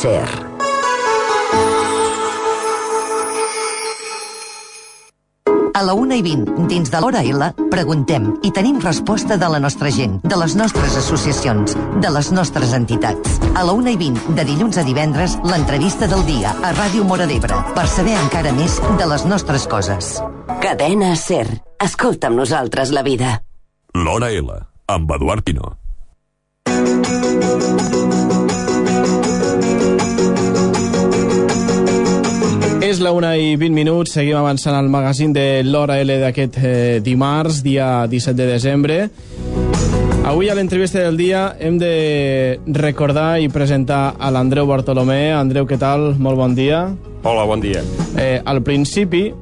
SER. A la 1:20, dins de l'Hora L, preguntem i tenim resposta de la nostra gent, de les nostres associacions, de les nostres entitats. A la 1:20, de dilluns a divendres, l'entrevista del dia a Ràdio Móra d'Ebre, per saber encara més de les nostres coses. Cadena SER. Escolta amb nosaltres la vida. L'Hora L, amb Eduard Pino. És la 1:20, seguim avançant al magazín de l'Hora L d'aquest dimarts, dia 17 de desembre. Avui a l'entrevista del dia hem de recordar i presentar a l'Andreu Bartolomé. Andreu, què tal? Molt bon dia. Hola, bon dia. Al principi,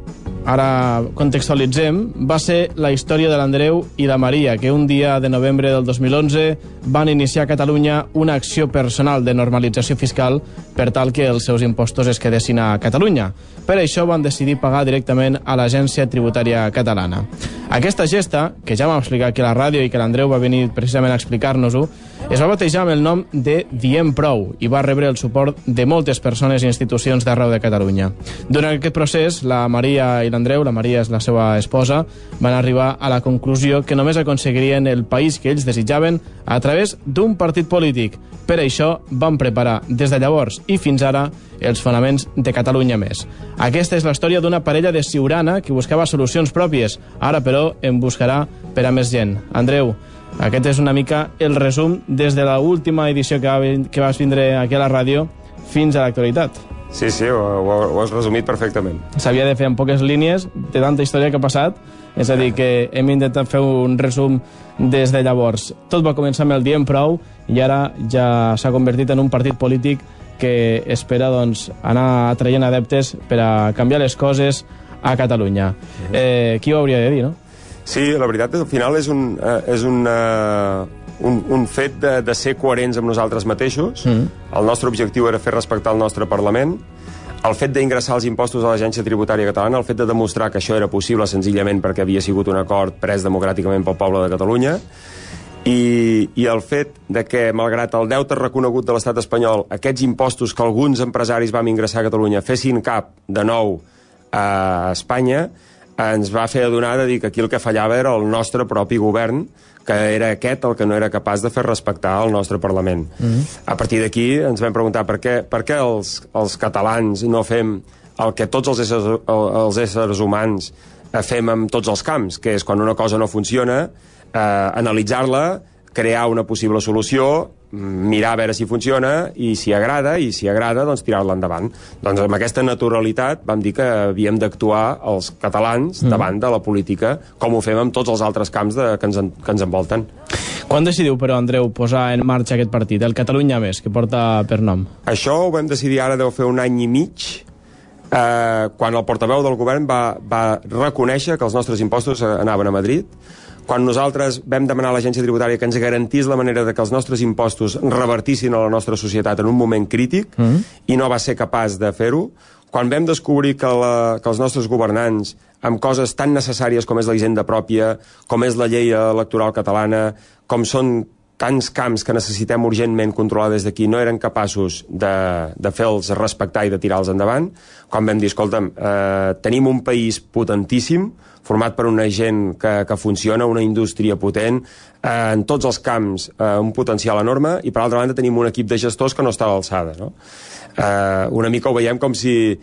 ara contextualitzem, va ser la història de l'Andreu i la Maria, que un dia de novembre del 2011 van iniciar a Catalunya una acció personal de normalització fiscal per tal que els seus impostos es quedessin a Catalunya. Per això van decidir pagar directament a l'Agència Tributària Catalana. Aquesta gesta, que ja vam explicar aquí a la ràdio i que l'Andreu va venir precisament a explicar-nos-ho, es va batejar amb el nom de Diem Prou i va rebre el suport de moltes persones i institucions d'arreu de Catalunya. Durant aquest procés, la Maria i l'Andreu, la Maria és la seva esposa, van arribar a la conclusió que només aconseguirien el país que ells desitjaven a través d'un partit polític. Per això van preparar des de llavors i fins ara els fonaments de Catalunya Més. Aquesta és la història d'una parella de Siurana que buscava solucions pròpies. Ara, però, en buscarà per a més gent. Andreu, aquest és una mica el resum des de l'última edició que vas vindre aquí a la ràdio fins a l'actualitat. Sí, ho has resumit perfectament. S'havia de fer en poques línies de tanta història que ha passat, és a dir, que hem intentat fer un resum des de llavors. Tot va començar amb el Diem Prou i ara ja s'ha convertit en un partit polític que espera anar atraient adeptes per a canviar les coses a Catalunya. Qui ho hauria de dir, no? Sí, la veritat, al final és un fet de ser coherents amb nosaltres mateixos. El nostre objectiu era fer respectar el nostre Parlament. El fet d'ingressar els impostos a l'Agència Tributària Catalana, el fet de demostrar que això era possible senzillament perquè havia sigut un acord pres democràticament pel poble de Catalunya, i el fet de que, malgrat el deute reconegut de l'estat espanyol, aquests impostos que alguns empresaris vam ingressar a Catalunya fessin cap de nou a Espanya, ens va fer adonar de dir que aquí el que fallava era el nostre propi govern, que era aquest el que no era capaç de fer respectar el nostre Parlament. A partir d'aquí ens vam preguntar per què els catalans no fem el que tots els éssers humans fem en tots els camps, que és quan una cosa no funciona, analitzar-la, crear una possible solució, mirar a veure si funciona i si agrada, doncs tirar-la endavant. Doncs amb aquesta naturalitat vam dir que havíem d'actuar els catalans davant de la política, com ho fem en tots els altres camps que ens envolten. Quan decidiu, però, Andreu, posar en marxa aquest partit, el Catalunya Més, que porta per nom? Això ho vam decidir ara deu fer un any i mig, quan el portaveu del govern va reconèixer que els nostres impostos anaven a Madrid, quan nosaltres vam demanar a l'Agència Tributària que ens garantís la manera de que els nostres impostos revertissin a la nostra societat en un moment crític, i no va ser capaç de fer-ho, quan vam descobrir que els nostres governants, amb coses tan necessàries com és la hisenda pròpia, com és la llei electoral catalana, com són tants camps que necessitem urgentment controlar des d'aquí, no eren capaços de fer-los respectar i de tirar-los endavant, quan vam dir, escolta'm, tenim un país potentíssim, format per una gent que funciona, una indústria potent, en tots els camps un potencial enorme, i per altra banda tenim un equip de gestors que no està a l'alçada, no? Una mica ho veiem com si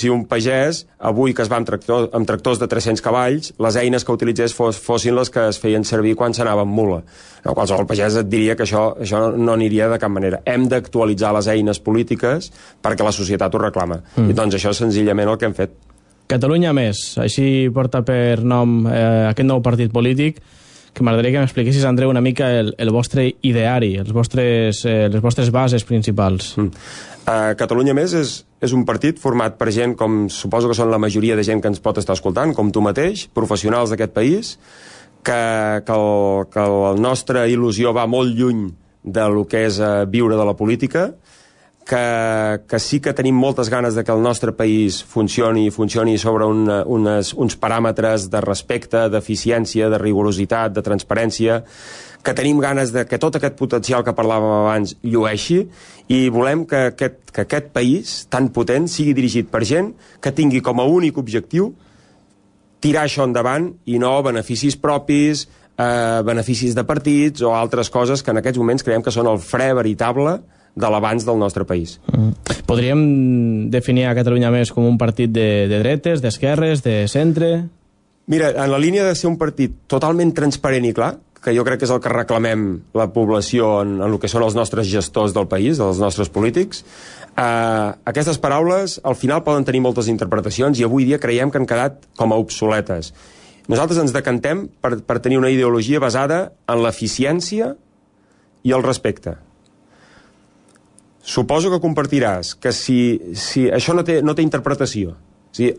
un pagès, avui que es va amb tractors de 300 cavalls, les eines que utilitzés fossin les que es feien servir quan s'anava amb mula. No, qualsevol pagès et diria que això no aniria de cap manera. Hem d'actualitzar les eines polítiques perquè la societat ho reclama. I doncs això és senzillament el que hem fet. Catalunya Més, així porta per nom aquest nou partit polític, que m'agradaria que m'expliquessis, Andreu, una mica el vostre ideari, les vostres bases principals. Catalunya Més és un partit format per gent, com suposo que són la majoria de gent que ens pot estar escoltant, com tu mateix, professionals d'aquest país, que la nostra il·lusió va molt lluny de lo que és viure de la política, que sí que tenim moltes ganes de que el nostre país funcioni sobre uns paràmetres de respecte, d'eficiència, de rigorositat, de transparència, que tenim ganes de que tot aquest potencial que parlàvem abans llueixi, i volem que aquest país tan potent sigui dirigit per gent que tingui com a únic objectiu tirar això endavant i no beneficis propis, beneficis de partits o altres coses que en aquests moments creiem que són el fre veritable de l'avanç del nostre país. Podríem definir a Catalunya Més com un partit de dretes, d'esquerres, de centre? Mira, en la línia de ser un partit totalment transparent i clar, que jo crec que és el que reclamem la població en el que són els nostres gestors del país, dels nostres polítics, aquestes paraules al final poden tenir moltes interpretacions i avui dia creiem que han quedat com a obsoletes. Nosaltres ens decantem per tenir una ideologia basada en l'eficiència i el respecte. Suposo que compartiràs que si això no té interpretació,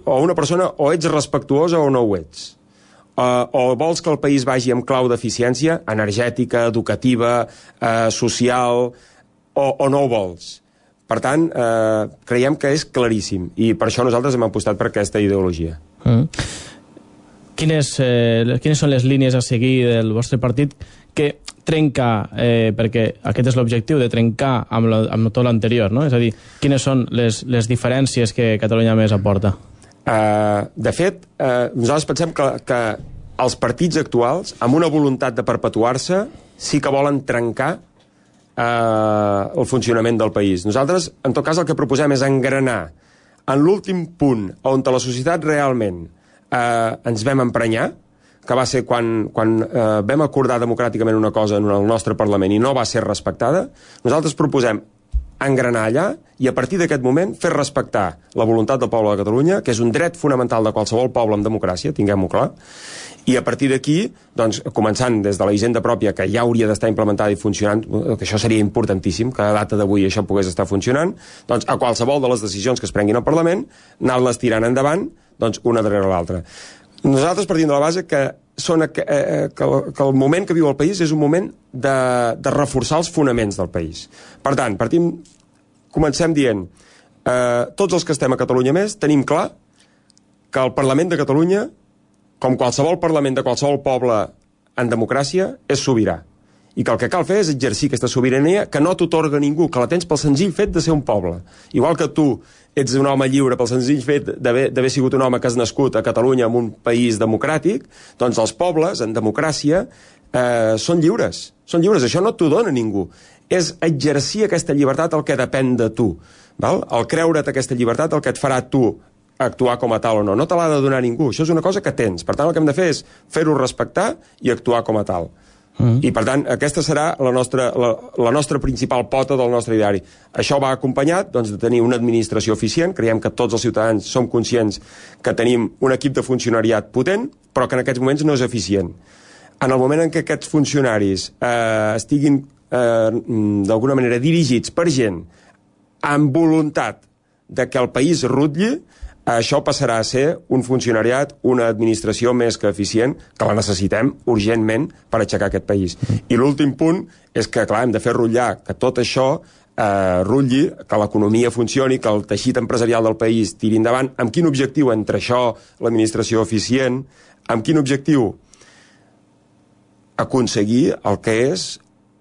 o una persona o ets respectuosa o no ho ets, o vols que el país vagi amb clau d'eficiència energètica, educativa, social, o no ho vols. Per tant, creiem que és claríssim, i per això nosaltres hem apostat per aquesta ideologia. Quines són les línies a seguir del vostre partit que trenca, perquè aquest és l'objectiu, de trencar amb tot l'anterior, no? És a dir, quines són les diferències que Catalunya Més aporta? De fet, nosaltres pensem que els partits actuals, amb una voluntat de perpetuar-se, sí que volen trencar el funcionament del país. Nosaltres, en tot cas, el que proposem és engranar en l'últim punt on la societat realment ens vam emprenyar, que va ser quan vam acordar democràticament una cosa en el nostre Parlament i no va ser respectada. Nosaltres proposem engranar allà i a partir d'aquest moment fer respectar la voluntat del poble de Catalunya, que és un dret fonamental de qualsevol poble en democràcia, tinguem-ho clar, i a partir d'aquí, doncs, començant des de la hisenda pròpia, que ja hauria d'estar implementada i funcionant, que això seria importantíssim, que a data d'avui això pogués estar funcionant, doncs a qualsevol de les decisions que es prenguin al Parlament, anar-les tirant endavant, doncs una darrere l'altra. Nosaltres partim de la base que el moment que viu el país és un moment de reforçar els fonaments del país. Per tant, comencem dient, tots els que estem a Catalunya Més tenim clar que el Parlament de Catalunya, com qualsevol Parlament de qualsevol poble en democràcia, és sobirà. I que el que cal fer és exercir aquesta sobirania que no t'atorga ningú, que la tens pel senzill fet de ser un poble. Igual que tu ets un home lliure pel senzill fet d'haver sigut un home que has nascut a Catalunya en un país democràtic, doncs els pobles, en democràcia, són lliures. Són lliures, això no t'ho dona ningú. És exercir aquesta llibertat el que depèn de tu. Val? El creure't aquesta llibertat el que et farà tu actuar com a tal o no. No te l'ha de donar ningú. Això és una cosa que tens. Per tant, el que hem de fer és fer-ho respectar i actuar com a tal. I per tant, aquesta serà la nostra principal pota del nostre ideari. Això va acompanyat doncs, de tenir una administració eficient. Creiem que tots els ciutadans som conscients que tenim un equip de funcionariat potent, però que en aquests moments no és eficient. En el moment en què aquests funcionaris estiguin d'alguna manera dirigits per gent amb voluntat de que el país rutlli, això passarà a ser un funcionariat, una administració més que eficient, que la necessitem urgentment per aixecar aquest país. I l'últim punt és que, clar, hem de fer rutllar que tot això rutlli, que l'economia funcioni, que el teixit empresarial del país tiri endavant. Amb quin objectiu? Entre això, l'administració eficient, amb quin objectiu? Aconseguir el que és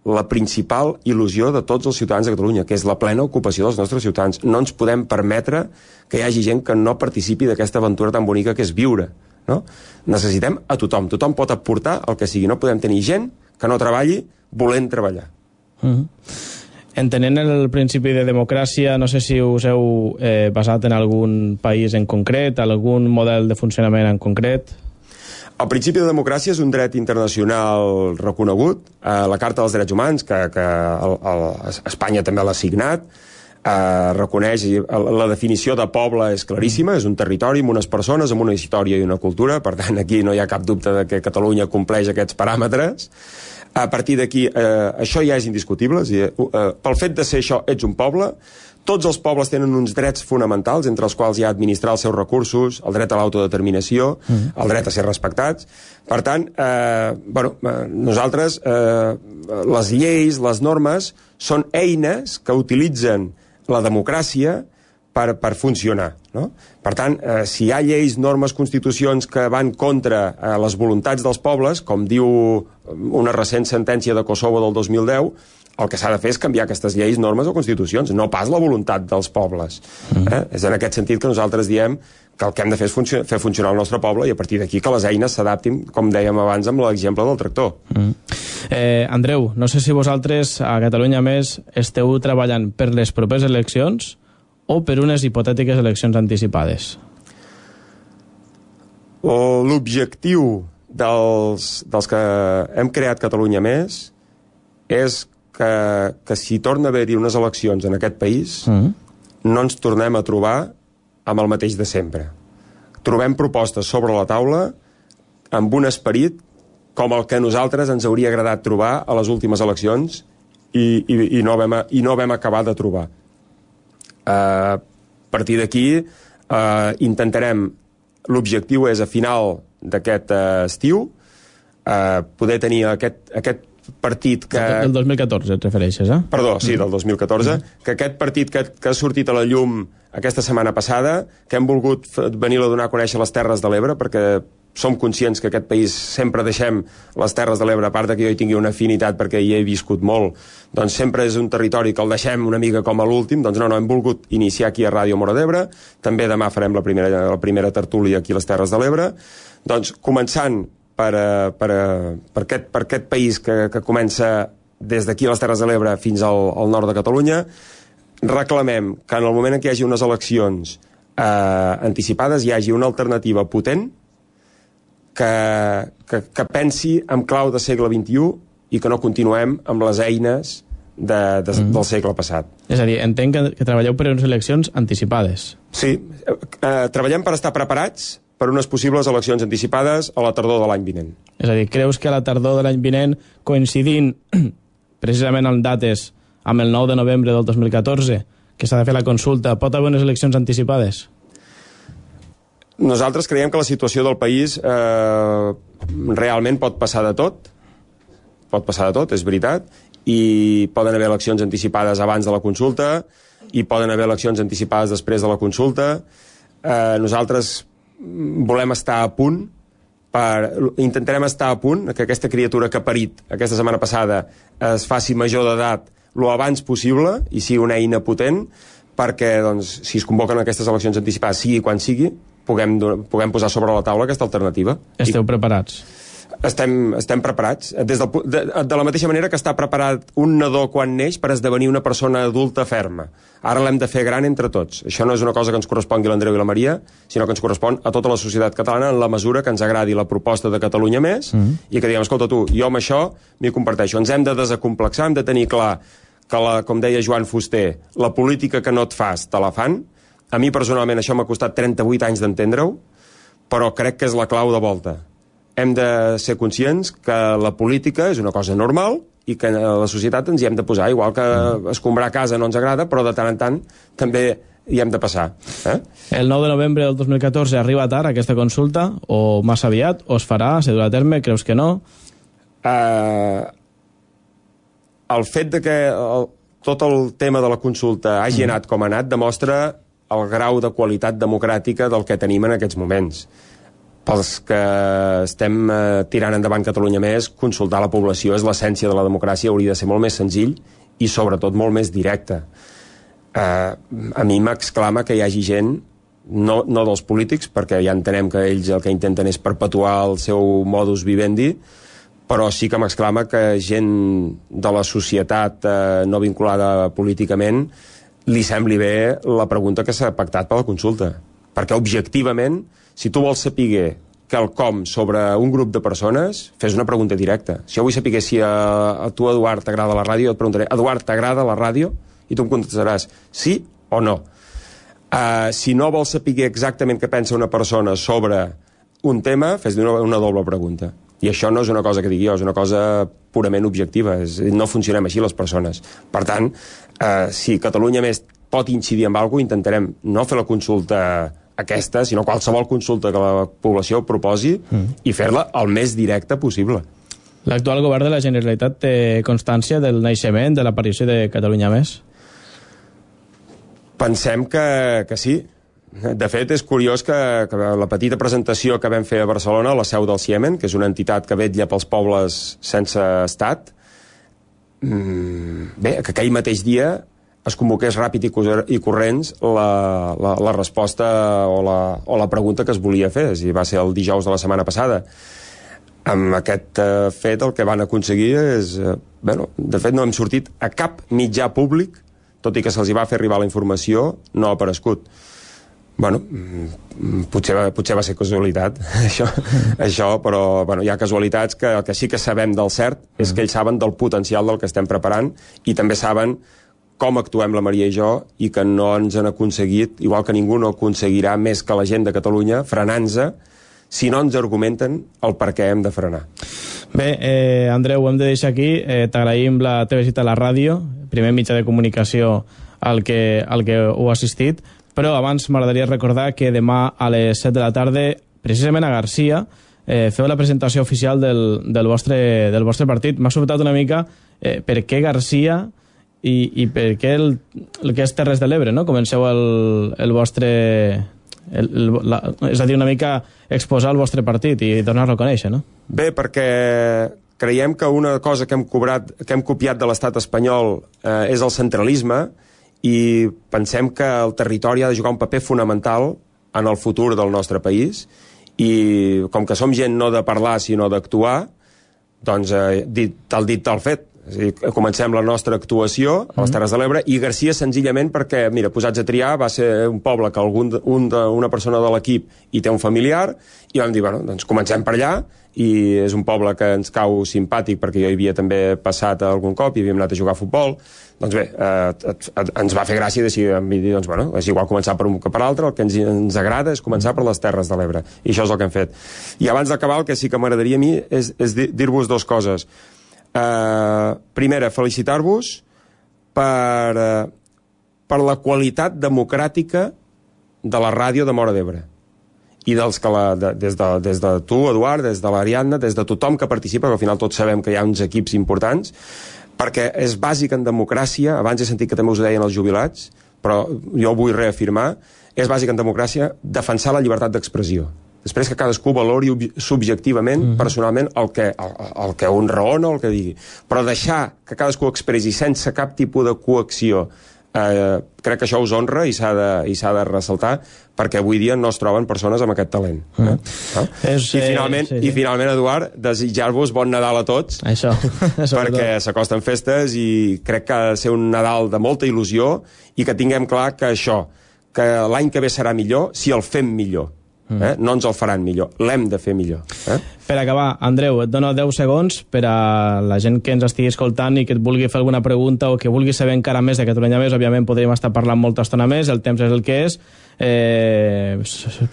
la principal il·lusió de tots els ciutadans de Catalunya, que és la plena ocupació dels nostres ciutadans. No ens podem permetre que hi hagi gent que no participi d'aquesta aventura tan bonica que és viure. No? Necessitem a tothom. Tothom pot aportar el que sigui. No podem tenir gent que no treballi volent treballar. Entenent el principi de democràcia, no sé si us heu basat en algun país en concret, algun model de funcionament en concret? El principi de democràcia és un dret internacional reconegut. La Carta dels Drets Humans, que Espanya també l'ha signat, reconeix, la definició de poble és claríssima, és un territori amb unes persones, amb una història i una cultura, per tant aquí no hi ha cap dubte de que Catalunya compleix aquests paràmetres. A partir d'aquí, això ja és indiscutible, pel fet de ser això, ets un poble. Tots els pobles tenen uns drets fonamentals, entre els quals hi ha administrar els seus recursos, el dret a l'autodeterminació, el dret a ser respectats. Per tant, nosaltres, les lleis, les normes, són eines que utilitzen la democràcia per funcionar, no? Per tant, si hi ha lleis, normes, constitucions que van contra les voluntats dels pobles, com diu una recent sentència de Kosovo del 2010, el que s'ha de fer és canviar aquestes lleis, normes o constitucions, no pas la voluntat dels pobles. És en aquest sentit que nosaltres diem que el que hem de fer és fer funcionar el nostre poble i a partir d'aquí que les eines s'adaptin, com dèiem abans amb l'exemple del tractor. Andreu, no sé si vosaltres a Catalunya Més esteu treballant per les properes eleccions o per unes hipotètiques eleccions anticipades? L'objectiu dels que hem creat Catalunya Més és que si torna a haver-hi unes eleccions en aquest país no ens tornem a trobar amb el mateix de sempre. Trobem propostes sobre la taula amb un esperit com el que a nosaltres ens hauria agradat trobar a les últimes eleccions i no vam acabar de trobar. A partir d'aquí intentarem, l'objectiu és a final d'aquest estiu poder tenir aquest partit que... Del 2014 et refereixes, eh? Perdó, sí, del 2014, que aquest partit que ha sortit a la llum aquesta setmana passada, que hem volgut venir a donar a conèixer les Terres de l'Ebre, perquè som conscients que aquest país sempre deixem les Terres de l'Ebre, a part que jo hi tingui una afinitat perquè hi he viscut molt, doncs sempre és un territori que el deixem una mica com a l'últim, doncs no, hem volgut iniciar aquí a Ràdio Móra d'Ebre, també demà farem la primera tertúlia aquí a les Terres de l'Ebre, doncs començant per aquest país que comença des d'aquí a les Terres de l'Ebre fins al nord de Catalunya, reclamem que en el moment en què hi hagi unes eleccions anticipades hi hagi una alternativa potent que pensi en clau de segle XXI i que no continuem amb les eines del segle passat. És a dir, entenc que treballeu per unes eleccions anticipades. Sí, treballem per estar preparats per unes possibles eleccions anticipades a la tardor de l'any vinent. És a dir, creus que a la tardor de l'any vinent, coincidint precisament en dates amb el 9 de novembre del 2014, que s'ha de fer la consulta, pot haver unes eleccions anticipades? Nosaltres creiem que la situació del país realment pot passar de tot, és veritat, i poden haver eleccions anticipades abans de la consulta, i poden haver eleccions anticipades després de la consulta. Nosaltres volem estar a punt, intentarem estar a punt, que aquesta criatura que ha parit aquesta setmana passada es faci major d'edat lo abans possible i sigui una eina potent perquè, doncs, si es convoquen aquestes eleccions anticipades, sigui quan sigui, puguem posar sobre la taula aquesta alternativa. Esteu preparats? Estem preparats. De la mateixa manera que està preparat un nadó quan neix per esdevenir una persona adulta ferma. Ara l'hem de fer gran entre tots. Això no és una cosa que ens correspongui a l'Andreu i la Maria, sinó que ens correspon a tota la societat catalana en la mesura que ens agradi la proposta de Catalunya Més i que diguem, escolta tu, jo amb això m'hi comparteixo. Ens hem de desacomplexar, hem de tenir clar que, com deia Joan Fuster, la política que no et fas, te la fan. A mi personalment això m'ha costat 38 anys d'entendre-ho, però crec que és la clau de volta. Hem de ser conscients que la política és una cosa normal i que a la societat ens hi hem de posar, igual que escombrar a casa no ens agrada, però de tant en tant també hi hem de passar. El 9 de novembre del 2014 arriba tard aquesta consulta, o massa aviat, o es farà, se durà a terme, creus que no? El fet de que tot el tema de la consulta hagi anat com ha anat demostra el grau de qualitat democràtica del que tenim en aquests moments. Pels que estem tirant endavant Catalunya Més, consultar la població és l'essència de la democràcia, hauria de ser molt més senzill i sobretot molt més directe. A mi m'exclama que hi hagi gent, no dels polítics, perquè ja entenem que ells el que intenten és perpetuar el seu modus vivendi, però sí que m'exclama que gent de la societat no vinculada políticament li sembli bé la pregunta que s'ha pactat per la consulta. Perquè objectivament, si tu vols saber quelcom sobre un grup de persones, fes una pregunta directa. Si jo vull saber si a tu, Eduard, t'agrada la ràdio, et preguntaré, Eduard, t'agrada la ràdio? I tu em contestaràs sí o no. Si no vols saber exactament què pensa una persona sobre un tema, fes una doble pregunta. I això no és una cosa que digui jo, és una cosa purament objectiva. No funcionem així les persones. Per tant, si Catalunya Més pot incidir en alguna cosa, intentarem no fer la consulta aquesta, sinó qualsevol consulta que la població proposi i fer-la el més directa possible. L'actual govern de la Generalitat té constància del naixement, de l'aparició de Catalunya Més? Pensem que sí. De fet, és curiós que la petita presentació que vam fer a Barcelona, a la seu del Ciemen, que és una entitat que vetlla pels pobles sense estat, bé, que aquell mateix dia es convoqués ràpid i corrents la resposta o la pregunta que es volia fer. Va ser el dijous de la setmana passada. Amb aquest fet el que van aconseguir és... de fet, no hem sortit a cap mitjà públic, tot i que se'ls va fer arribar la informació, no ha aparegut. Potser va ser casualitat, això, però hi ha casualitats que el que sí que sabem del cert és que ells saben del potencial del que estem preparant i també saben com actuem la Maria i jo i que no ens han aconseguit, igual que ningú no aconseguirà més que la gent de Catalunya, frenant-se, si no ens argumenten el per què hem de frenar. Bé, Andreu, ho hem de deixar aquí. T'agraïm la teva visita a la ràdio, primer mitjà de comunicació al que heu assistit, però abans m'agradaria recordar que demà a les 7 de la tarda, precisament a Garcia, feu la presentació oficial del vostre partit. M'ha sobtat una mica per què Garcia i per què el que és Terres de l'Ebre, no? Comenceu el vostre... és a dir, una mica exposar el vostre partit i donar-lo a conèixer, no? Bé, perquè creiem que una cosa que hem copiat de l'estat espanyol és el centralisme, i pensem que el territori ha de jugar un paper fonamental en el futur del nostre país, i com que som gent no de parlar sinó d'actuar, doncs tal dit tal fet. És a dir, comencem la nostra actuació a les Terres de l'Ebre, i Garcia senzillament perquè, mira, posats a triar, va ser un poble que una persona de l'equip hi té un familiar, i vam dir, doncs comencem per allà, i és un poble que ens cau simpàtic perquè jo hi havia també passat algun cop i havíem anat a jugar a futbol. Doncs bé, ens va fer gràcia decidir, doncs és igual començar per un que per l'altre, el que ens agrada és començar per les Terres de l'Ebre, i això és el que hem fet. I abans d'acabar, el que sí que m'agradaria a mi és dir-vos dues coses. Primera, felicitar-vos per la qualitat democràtica de la ràdio de Móra d'Ebre, i des de tu, Eduard, des de l'Ariadna, des de tothom que participa, que al final tots sabem que hi ha uns equips importants, perquè és bàsic en democràcia, abans he sentit que també us ho deien els jubilats, però jo ho vull reafirmar, és bàsic en democràcia defensar la llibertat d'expressió. Després que cadascú valori subjectivament, personalment, el que un raona o el que digui. Però deixar que cadascú expressi sense cap tipus de coacció, crec que això us honra i s'ha de ressaltar, perquè avui dia no es troben persones amb aquest talent. I finalment, Eduard, desitjar-vos bon Nadal a tots, perquè s'acosten festes i crec que ha de ser un Nadal de molta il·lusió i que tinguem clar que que l'any que ve serà millor si el fem millor. No ens el faran millor, l'hem de fer millor. Per acabar, Andreu, et dono 10 segons per a la gent que ens estigui escoltant i que et vulgui fer alguna pregunta o que vulgui saber encara més de Catalunya Més. Òbviament podríem estar parlant molta estona més, el temps és el que és,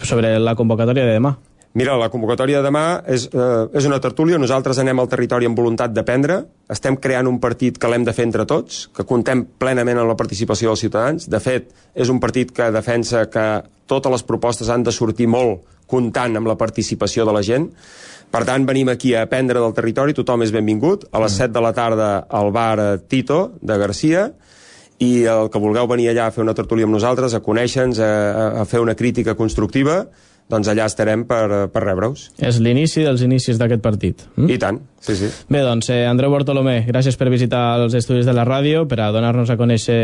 sobre la convocatòria de demà. Mira, la convocatòria de demà és una tertúlia. Nosaltres anem al territori amb voluntat d'aprendre. Estem creant un partit que l'hem de fer entre tots, que contem plenament amb la participació dels ciutadans. De fet, és un partit que defensa que totes les propostes han de sortir molt comptant amb la participació de la gent. Per tant, venim aquí a aprendre del territori, tothom és benvingut. A les 7 de la tarda al bar Tito de Garcia, i el que vulgueu venir allà a fer una tertúlia amb nosaltres, a conèixer-nos, a fer una crítica constructiva, doncs allà estarem per rebre-us. És l'inici dels inicis d'aquest partit. I tant, sí. Bé, doncs, Andreu Bartolomé, gràcies per visitar els estudis de la ràdio, per a donar-nos a conèixer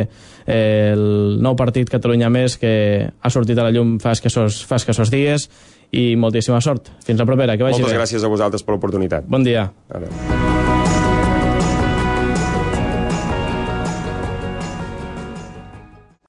el nou partit Catalunya Més que ha sortit a la llum fa escassos dies, i moltíssima sort. Fins la propera, que vagi bé. Moltes gràcies a vosaltres per l'oportunitat. Bon dia. Adéu.